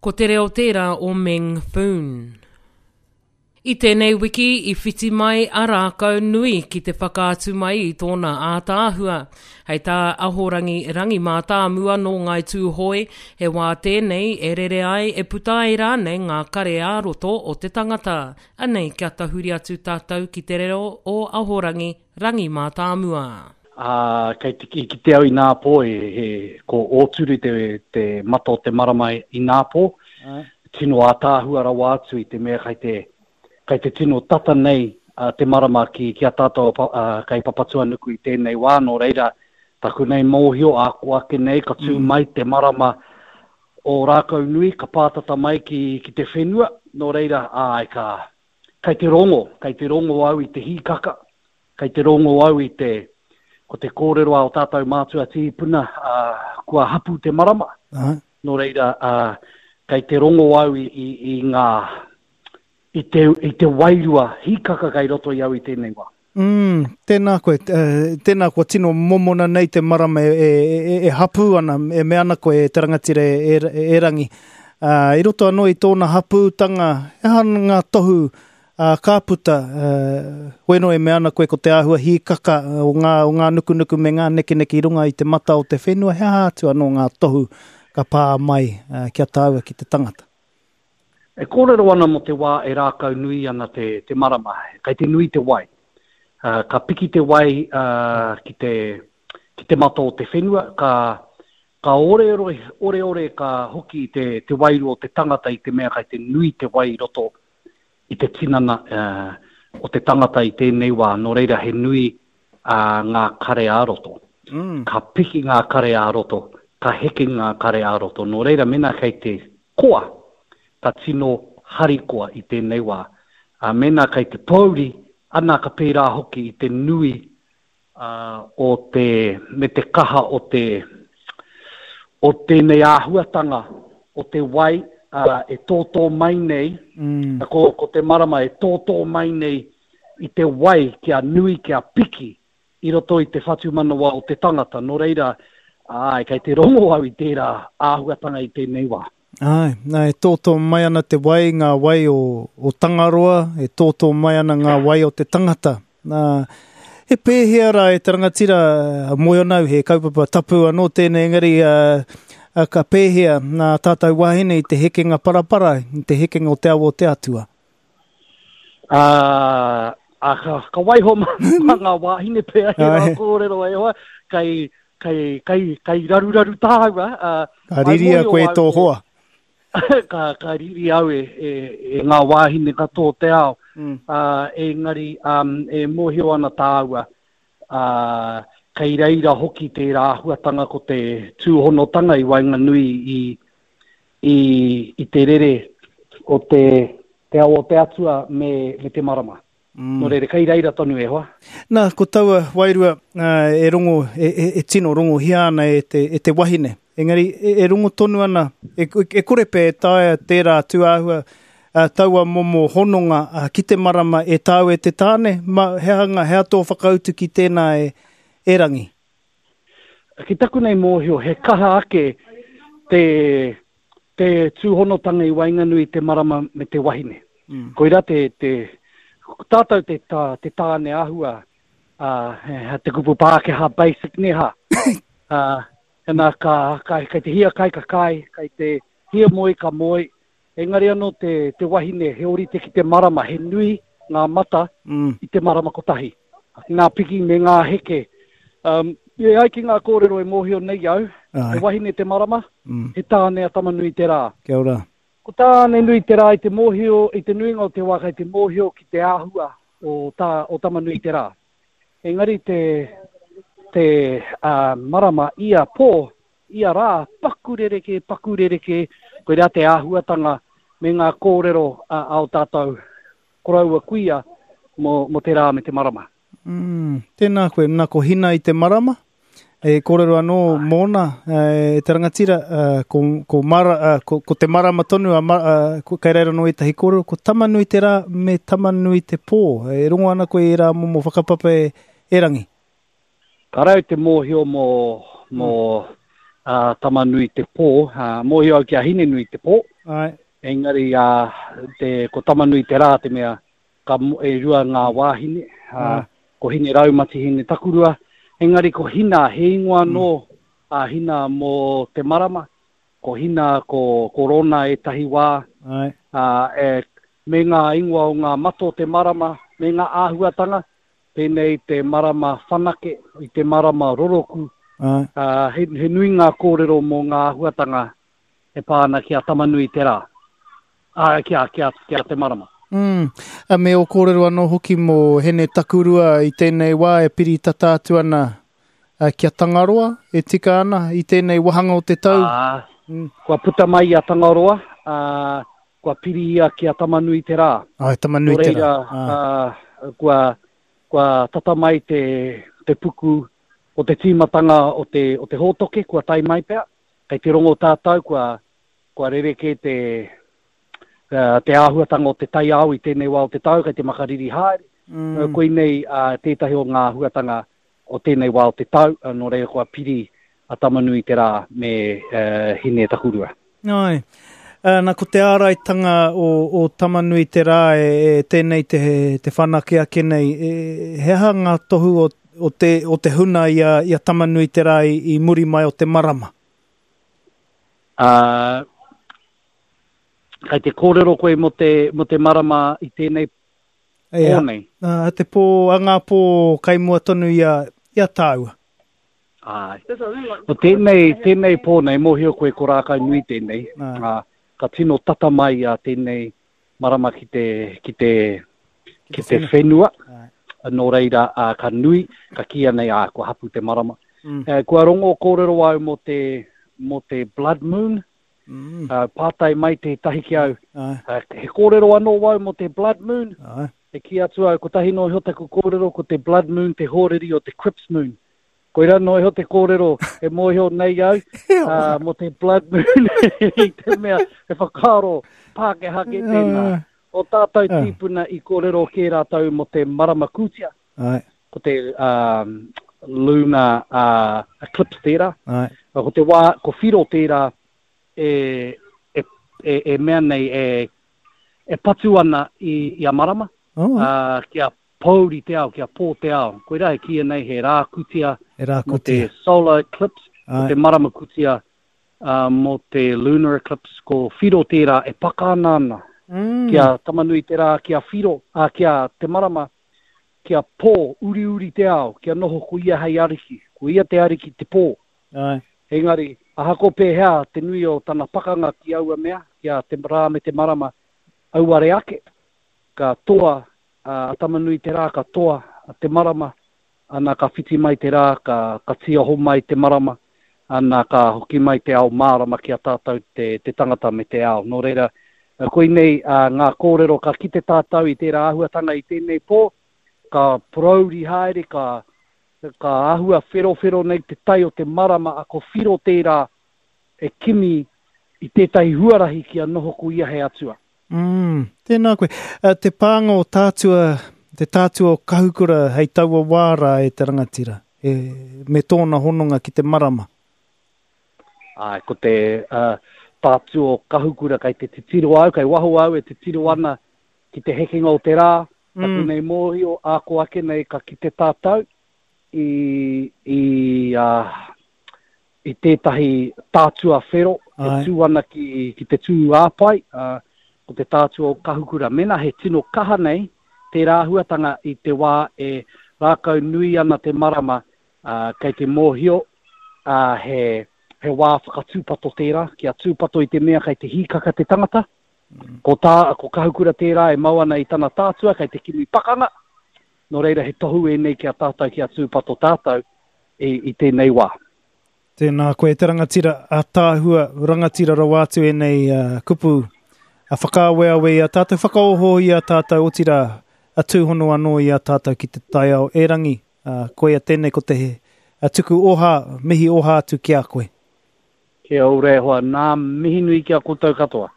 Ko te reo tērā o Meng Foon. I tēnei wiki i whiti mai a Rākau Nui ki te whakaatu mai i tōna ātaahua. Hei tā Ahorangi Rangi Mātāmua nō Ngāi Tūhoe, he wā tēnei e rere ai, e puta ai rānei ngā kare ā-roto o te tangata. Anei kia tahuri atu tātou ki te reo o Ahorangi Rangi Mātāmua. Ā, kei te, i kite au ināpō, he, he, ko Ōturu te, te mata o te marama ināpō, tino ātaahua rawa atu i te mea kei te, kei te tino tata nei te marama ki, ki a tātou kei Papatuanuku i tēnei wā, nō reira, taku nei mōhio, āko ake nei, ka tū mai te marama o Rākaunui, ka pātata mai ki, ki te whenua, nō reira, āe, ka, kei te rongo, kei te rongo au i te hīkaka, kei te rongo au i te, ko te kōrero a o tātou mātua tīpuna, ā, kua hapū te marama. Āe. Nō reira, ā, kei te rongo au i, i, i ngā, i te, i te wairua hīkaka kei roto i au i tēnei wā. Mm, tēnā koe, tēnā kua tino momona nei te marama e, e, e, e hapū ana, e mea ana koe e te rangatira e, e, e Rangi. Uh, I roto anō i tōna hapūtanga, he aha ngā tohu uh, ka puta, uh, hoi anō e mea ana koe ko te āhua hīkaka o ngā, o ngā nukunuku me ngā nekeneke i runga i te mata o te whenua, he aha atu anō ngā tohu ka pā mai uh, ki a tāua ki te tangata? E kōrero ana mō te wā e rākau nui ana te, te marama, kei te nui te wai. Uh, ka piki te wai uh, ki, te, ki te mata o te whenua, ka, ka oreore, oreore ka hoki te, te wairua o te tangata i te mea kei te nui te wai i roto i te tinana uh, o te tangata i tēnei wā, nō reira he nui uh, ngā kare ā-roto. Mm. Ka piki ngā kare ā-roto, ka heke ngā kare ā-roto. Nō reira, mēnā kei te koa, ka tino harikoa i tēnei wā. Ā, mēnā kei te pōuri, ana ka pērā hoki i te nui ā, o te, me te kaha o te, o tēnei āhuatanga o te wai, ā, e tōtō mai nei, mm. ko, ko te marama e tōtō mai nei i te wai kia nui, kia piki i roto i te whatumanawa o te tangata. Nō reira, āe, kei te rongo au i tērā āhuatanga i tēnei wā. Āe, nā, e tōtō mai ana te wai, ngā wai o, o Tangaroa, e tōtō mai ana ngā wai o te tangata. Nā, he pēhea rā e te rangatira, moe ana au, he kaupapa tapu anō tēnei, engari uh, ka pēhea nā tātou wāhine i te hekenga parapara, i te hekenga o te awa o te atua? Ā, ā, ka, ka waiho mā, mā ngā wāhine pea he rā kōrero e hoa, kei, kei, kei, kei raruraru tāua. Ā, ka riria koe e tō hoa. ka, ka riri au e, e, e ngā wāhine katoa o te ao. Mm. Ā, engari, um, e mōhio ana tāua, ā, kei reira hoki tērā āhuatanga ko te tūhonotanga i waenganui i, i, i te rere o te, te ao o te atua me, me te marama. Mm. Nō reira, kei reira tonu e hoa. Nā, ko taua wairua e rongo, e, e, e tino rongohia ana e te, e te wahine. Engari, e, e rongo tonu ana, e, e kore pea e taea tērā tūāhua, uh, taua momo hononga uh, ki te marama e tāu e te tāne, ma, he aha ngā, he aha tō whakautu ki tēnā e, e Rangi? Ki taku nei mōhio, he kaha ake te, te tūhonotanga i waenganui i te marama me te wahine. Mm. Koirā te, te, tātou te, tā, te tāne āhua, uh, te kupu Pākehā basic ne hā. Uh, ena ka, ka, kei te hia kai ka kai, kei te hia moe ka moe, Engari anō te, te wahine, he ōrite ki te marama, he nui ngā mata mm. i te marama kotahi. Ngā piki me ngā heke. Um, e ai ki ngā kōrero e mōhio nei au, Ai. he wahine te marama, mm. he tāne a Tamanui te rā. Kia ora. Ko tāne nui te rā i te mōhio, i te nuinga o te wā kei te mōhio ki te āhua o, tā, o Tamanui te rā. Engari te, te uh, marama ia pō, Ia rā, paku rerekē, paku rerekē, koirā te āhuatanga me ngā kōrero a ō tātou koroua kuia mō, mō te rā me te marama. Mm, tēnā koe, nā ko Hina i te marama, e kōrero anō mōna, e te rangatira, ko, ko, mara, ko, ko te marama tonu, a, ko, kei reira anō ētahi kōrero, ko Tamanui te rā me Tamanui te pō. E rongo ana koe i ērā momo whakapapa e, e Rangi. Ka rau te mōhio mō, mō uh, Tamanui te pō, uh, mōhio au ki a Hinenui te pō. Āe. Engari, ā, te, ko Tamanui te Rā te mea, ka, e rua ngā wāhine, ā, ko Hine Raumati, Hine Takurua. Engari ko Hina, he ingoa anō a Hina mō te marama, ko Hina, ko, ko Rona ētahi wā, Āe. ā, e, me ngā ingoa o ngā mata o te marama, me ngā āhuatanga, pēnei i te marama whanake, i te marama roroku, Āe. ā, he, he nui ngā kōrero mō ngā āhuatanga e pā ana ki a Tamanui-te-rā, ā, ki a, ki a, ki a Te Marama. Mm. A me ō kōrero anō hoki mō Hene Takurua i tēnei wā e piri tata atu ana ki a Tangaroa, e tika ana i tēnei wahanga o te tau. Ā, mm. kua puta mai i a Tangaroa, ā, kua piri ia ki a Tamanui-te-rā. Āe, Tamanui-te-rā. Nō reira, ā, kua, kua tata mai te, te puku o te tīmatanga o te, o te hōtoke, kua tae mai pea. Kei te rongo tātou kua, kua rerekē te, te āhuatanga o te taiao i tēnei wā o te tau, kei te makariri haere. Mm. Koinei uh, tētahi o ngā āhuatanga o tēnei wā o te tau, nō reira kua piri a Tamanui te rā me uh, Hine Takurua. Ai. Uh, na ko te āraitanga o, o Tamanui te rā e, e tēnei te, te whanake ake nei, e, he aha ngā tohu o, o, te, o te huna i a, i a Tamanui te rā i, i muri mai o te marama? Uh, kei te kōrero koe mō te, mō te marama i tēnei pō nei? Uh, te pō, a ngā pō kai mua tonu i a, i a tāua. Āe. Ko tēnei, tēnei pō nei, mōhio koe ko Rākaunui tēnei, ā, ka tino tata mai a tēnei marama ki te, ki te, ki te whenua, nō reira, ā, ka nui, ka kīia nei, ā, kua hapu te marama. Mm. E, kua rongo kōrero au mō te, mō te blood moon, mm. Uh, pātai mai tētahi ki au, uh, he kōrero anō wau mō te blood moon, Āe. E kī atu au, kotahi noa iho taku kōrero, ko te Blood Moon te hōriri o te Cripps Moon. Koirā noa iho te kōrero e mōhio nei au uh, mō te Blood Moon i te mea he whakaaro Pākehā kē tēnā. O tātou tīpuna i kōrero kē rātou mō te marama kūtia. Ai. Ko te um, lunar uh, eclipse tērā. Ai. Ko te wā, ko Whiro tērā e, e, e, e mea nei e e patu ana i, i a Marama, oh. uh, kia pōuri te ao, kia pō te ao. Koirā e kīia nei he rā kutia, he rā kutia. mō te solar eclipse, mō te marama kutia, uh, mō te lunar eclipse, ko Whiro tērā e paka ana ana. Mm. Kia Tamanui te rā, kia Whiro, uh, kia te marama, kia pō, uriuri te ao, kia noho ko ia hei ariki. Ko ia te ariki te pō. Ai. Engari, ahako pēhea te nui o tana pakanga ki aua mea, ki a te rā me te marama, auare ake, ka toa a Tamanui-te-rā, ka toa te marama, ana ka whiti mai te rā, ka, ka tīaho mai te marama, ana ka hoki mai te ao mārama ki a tātou te, te tangata me te ao. Nō reira, koinei ngā kōrero ka kite tātou i tērā āhuatanga i tēnei pō, ka porouri haere, ka, Ka āhua wherowhero nei te tai o te marama a ko Whiro tērā e kimi i tētahi huarahi kia noho ko ia hei atua. Mm, tēnā koe. Te pānga o Tātua, te Tātua o Kahukura hei taua wā rā e te rangatira, e, me tōna hononga ki te marama. Āe, ko te uh, Tātua o Kahukura kei te titiro au, kei waho au e titiro ana ki te hekenga o te rā, Taku nei mōhio, āko ake nei ka kite tātou i, i, uh, i tētahi tātua whero e tū ana ki, ki te tū āpai, uh, ko te tātua o Kahukura. Mena he tino kaha nei tērā āhuatanga i te wā e rākau nui ana te marama, uh, kei te mōhio uh, he, he wā whakatūpato tērā, kia tūpato i te mea kei te hīkaka te tangata, Ko tā, ko Kahukura tērā e mau ana i tana tātua kei te kimi pakanga, nō reira he tohu ēnei ki a tātou kia tūpato tātou i, i tēnei wā. Tēnā koe te rangatira ataahua, rangatira rawa atu ēnei uh, kupu a whakaaweawe i a tātou, whakaoho i a tātou, otirā a tūhono anō i a tātou ki te taiao erangi. Uh, koia tēnei ko te a tuku oha, mihi oha atu ki a koe. Kia ora e hoa, nā mihi nui ki a koutou katoa.